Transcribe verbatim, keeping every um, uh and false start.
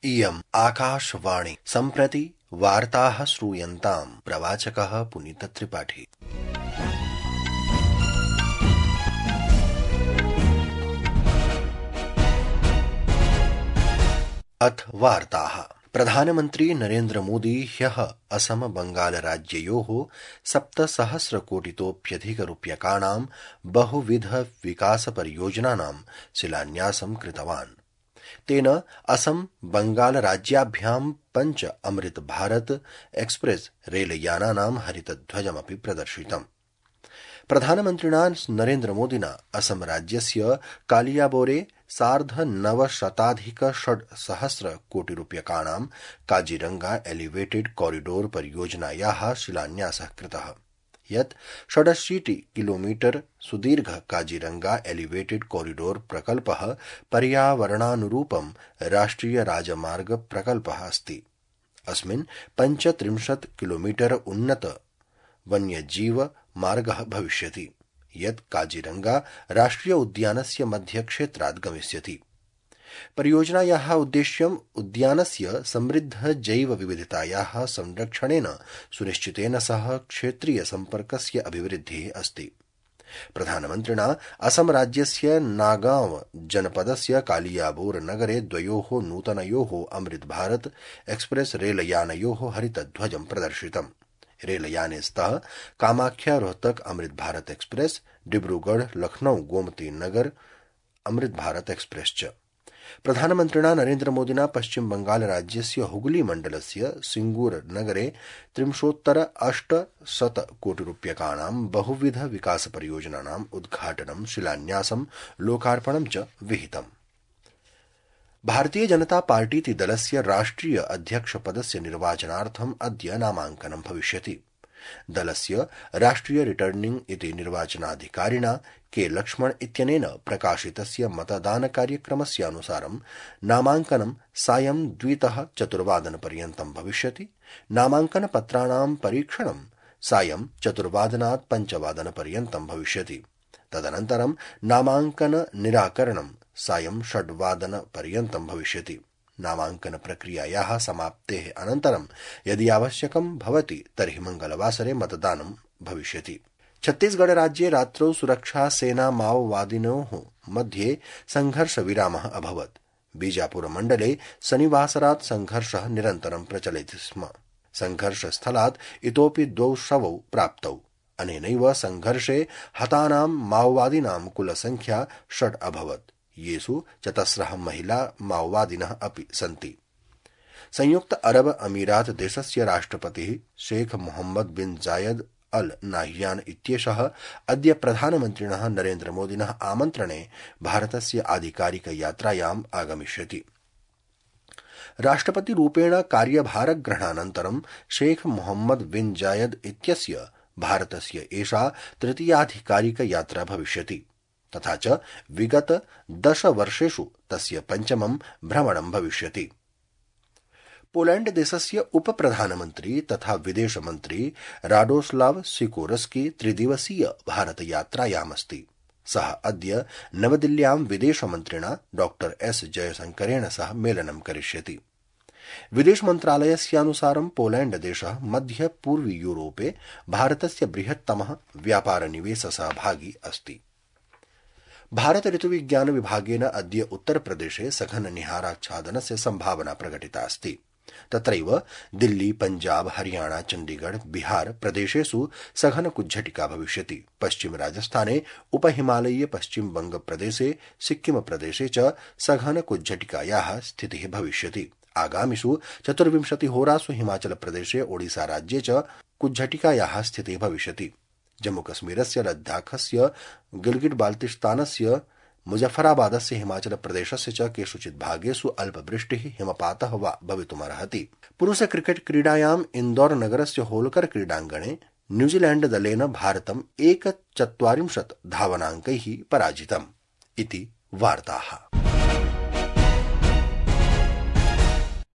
इयम् आकाशवाणी सम्प्रति वार्ताः श्रूयन्ताम् प्रवाचकः पुनीतत्रिपाठी। अथ वार्ताः। प्रधानमन्त्री नरेन्द्र मोदी ह्यः असम बंगाल राज्ययोः सप्तसहस्रकोटितोऽप्यधिकरूप्यकाणां बहुविध विकासपरियोजनानां शिलान्यासं कृतवान्। तेन असम बंगाल राज्याभ्यां पञ्च अमृत भारत एक्सप्रेस रेलयानानां हरितध्वजमपि प्रदर्शितम्। प्रधानमन्त्रिणा नरेन्द्र मोदिना असम राज्यस्य कालियाबोरे सार्धनवशताधिक षड्सहस्र कोटिरूप्यकाणां काजीरंगा एलिवेटेड कॉरिडोर परियोजनायाः शिलान्यासः कृतः, यत् षडशीति किलोमीटर सुदीर्घ काजीरंगा एलिवेटेड कॉरिडोर प्रकल्पः पर्यावरणानुरूपं राष्ट्रिय राजमार्ग प्रकल्पः अस्ति। अस्मिन् पञ्चत्रिंशत् किलोमीटर उन्नत वन्यजीव मार्गः भविष्यति, यत् काजीरंगा राष्ट्रिय उद्यानस्य मध्यक्षेत्रात् गमिष्यति। परियोजनायाः उद्देश्यम् उद्यानस्य समृद्ध जैव विविधतायाः संरक्षणेन सुनिश्चितेन सह क्षेत्रीय सम्पर्कस्य अभिवृद्धिः अस्ति। प्रधानमन्त्रिणा असम राज्यस्य नागांव जनपदस्य कालियाबोर नगरे द्वयोः नूतनयोः अमृत भारत एक्सप्रेस रेलयानयोः हरितध्वजं प्रदर्शितम्। रेलयाने स्तः कामाख्या रोहतक अमृत भारत एक्सप्रेस, डिब्रूगढ़ लखनऊ गोमती नगर अमृत भारत एक्सप्रेस च। प्रधानमन्त्रिणा नरेन्द्र मोदिना पश्चिम बंगाल राज्यस्य हुगली मण्डलस्य सिंगूर नगरे त्रिंशोत्तर अष्टशत कोटिरूप्यकाणां बहुविध विकासपरियोजनानाम् उद्घाटनं, शिलान्यासं, लोकार्पणं च विहितम्। भारतीय जनता पार्टीति दलस्य राष्ट्रिय अध्यक्षपदस्य निर्वाचनार्थम् अद्य नामाङ्कनं भविष्यति। दलस्य राष्ट्रिय रिटर्निंग इति निर्वाचनाधिकारिणा के लक्ष्मण इत्यनेन प्रकाशितस्य मतदानकार्यक्रमस्यानुसारं नामाङ्कनं सायं द्वितः चतुर्वादनपर्यन्तं भविष्यति। नामाङ्कनपत्राणां परीक्षणं सायं चतुर्वादनात् पञ्चवादनपर्यन्तं भविष्यति। तदनन्तरं नामाङ्कन निराकरणं सायं षड्वादनपर्यन्तं भविष्यति। नामाङ्कन प्रक्रियायाः समाप्तेः अनन्तरं यदि आवश्यकं भवति तर्हि मंगलवासरे मतदानं भविष्यति। छत्तीसगढ़ राज्ये रात्रौ सुरक्षा सेना माओवादिनोः मध्ये संघर्षविरामः अभवत्। बीजापुर मण्डले शनिवासरात् संघर्षः निरन्तरं प्रचलति स्म। संघर्षस्थलात् इतोपि द्वौ शवौ प्राप्तौ। अनेनैव संघर्षे हतानां माओवादिनां कुलसंख्या षड् अभवत्, येषु चतस्रः महिला माओवादिनः अपि सन्ति। संयुक्त अरब अमीरात देशस्य राष्ट्रपतिः शेख मोहम्मद बिन जायद अल नाह्यान इत्येषः अद्य प्रधानमन्त्रिणः नरेन्द्र मोदिनः आमन्त्रणे भारतस्य आधिकारिक यात्रायाम् आगमिष्यति। राष्ट्रपतिरूपेण कार्यभारग्रहणानन्तरं शेख मोहम्मद बिन जायद इत्यस्य भारतस्य एषा तृतीयाधिकारिक यात्रा भविष्यति। तथा च विगत दश वर्षेषु तस्य पञ्चमं भ्रमणं भविष्यति। पोलैंड देशस्य उपप्रधानमन्त्री तथा विदेशमन्त्री राडोस्लाव सिकोर्स्की त्रिदिवसीय भारतयात्रायामस्ति। सः अद्य नवदिल्ल्यां विदेशमन्त्रिणा डॉ एस जयशंकरेण सह मेलनं करिष्यति। विदेशमन्त्रालयस्यानुसारं पोलैंड देशः मध्य पूर्वी यूरोपे भारतस्य बृहत्तमः व्यापारनिवेशसहभागी अस्ति। भारत ऋतुविज्ञान विभागेन अद्य उत्तरप्रदेशे सघन निहाराच्छादनस्य संभावना प्रकटिता अस्ति। तत्रैव दिल्ली, पंजाब, हरियाणा, चण्डीगढ़, बिहार प्रदेशेषु सघन कुज्झटिका भविष्यति। पश्चिम राजस्थाने, उपहिमालयीय पश्चिम बंग प्रदेशे, सिक्किम प्रदेशे च सघन कुज्झटिकायाः स्थितिः भविष्यति। आगामिषु चतुर्विंशतिहोरासु हिमाचल प्रदेशे, ओडिशा राज्ये च कुज्झटिकायाः स्थितिः भविष्यति। जम्मूकश्मीरस्य, लद्दाखस्य, गिलगिट बाल्तिस्तानस्य, मुजफ्फराबादस्य, हिमाचल प्रदेशस्य च केषुचित् भागेषु अल्पवृष्टिः, हिमपातः वा भवितुमर्हति। पुरुष क्रिकेट क्रीडायाम् इन्दौर नगरस्य होलकर क्रीडाङ्गणे न्यूजीलैण्ड दलेन भारतम् एकचत्वारिंशत् धावनाङ्कैः पराजितम्। इति वार्ताः।